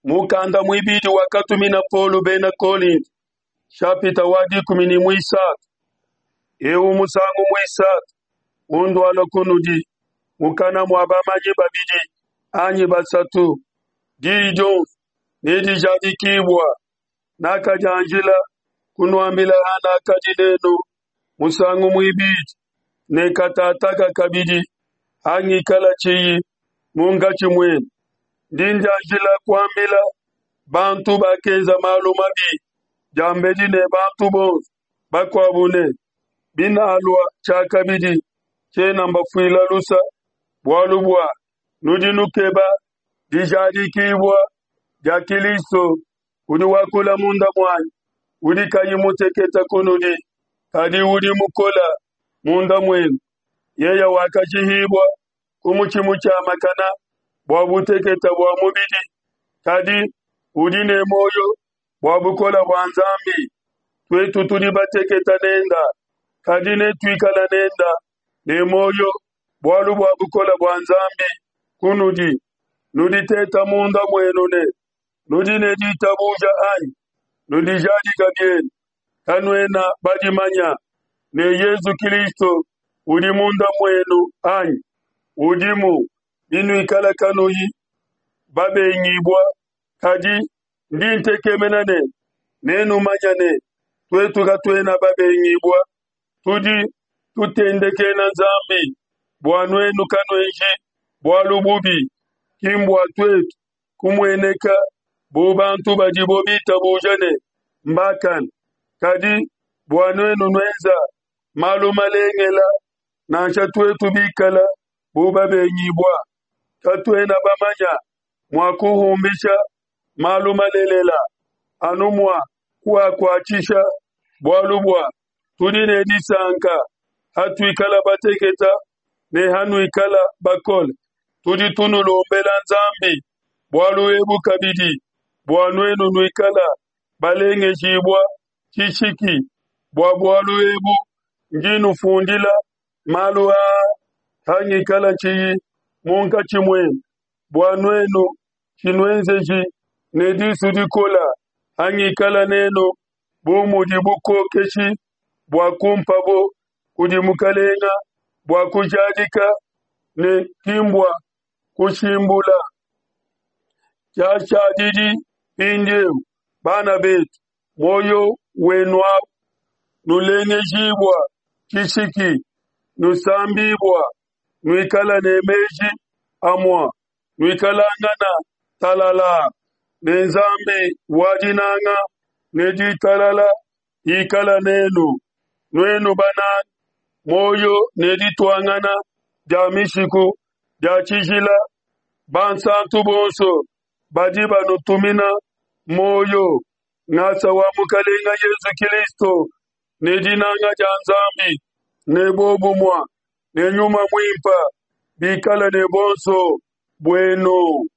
Mukanda muibidi wakatumina Paulo bena Kolinto, nshapita wa 13. Eu musangu muisatu undualua kunudi mukana mua bamanyi babidi anyi basatu, diyi dionso nedijadikibua. Nakadianjila kunuambila hanakadi nenu musangu muibidi, ne katataka kabidi hangikala tshiyi munkatshi muenu. Ndi ndianjila kuambila bantu bakenza malu mabi diambedi ne bantu bonso bakuabu ne, binalua tshiakabidi, tshiena mbafuila lusa, bualu bua nudi nukeba dijadikibua dia Kilisto udi wakula munda muanyi, udi kayi muteketa kunudi, kadi udi mukola munda muenu. Yeye wakashihibua ku mutshi mutshiamakana bua buteketa bua mubidi, kadi udi ne muoyo bua bukole bua Nzambi. Tuetu tudi bateketa nenda, kadi netuikala nenda ne muoyo bualu bua bukole bua Nzambi kunudi. Nuditeta munda muenu ne nudi ne ditabuja anyi? Nudijadika bienu, kanuena badimanya ne Yezu Kristo udi munda muenu anyi? Udimu binuikala kanuyi babengibua, kadi ndi ntekemena ne nenumanya ne tuetu katuena babengibua. Tudi tutendekena Nzambi bua nuenu kanuenji bualu bubi, ki mbua tuetu kumueneka bu bantu badibo bitabuja ne mbakane, kadi bua nuenu nuenza malu malengela, nansha tuetu bikala bu babengibua. Katuena bamanya mua kuhumbisha malu malelela, anu mua kuakuatshisha, bualu bua tudi ne disanka hatuikala bateketa ne hanuikala bakole. Tudi tunulombela Nzambi bualu ebu kabidi, bua nuenu nuikala balengejibua tshishiki. Bua bualu ebu ndi nufundila malu aa hangikala tshiyi munkatshi muenu, bua nuenu tshinuenzeji ne disu dikola hangikala nenu, bu mudi bukokeshi bua kumpabo kudi Mukalenga bua kujadika ne ki mbua kushimbula. Tshiashadidi mpindieu, bana betu, muoyo wenu awu, nulengejibua tshishiki, nusambibua, nuikala ne meji amua, nuikalangana talalaa, ne Nzambi wa dinanga ne ditalala ikala nenu. Nuenu bananga, muoyo ne dituangana dia mishiku dia tshijila, bansantu bonso badi banutumina muoyo. Ngasa wa Mukalenga Yezu Kilisto ne dinanga dia Nzambi ne bobumua ne Nyuma Muimpa bikala ne bonso buenu.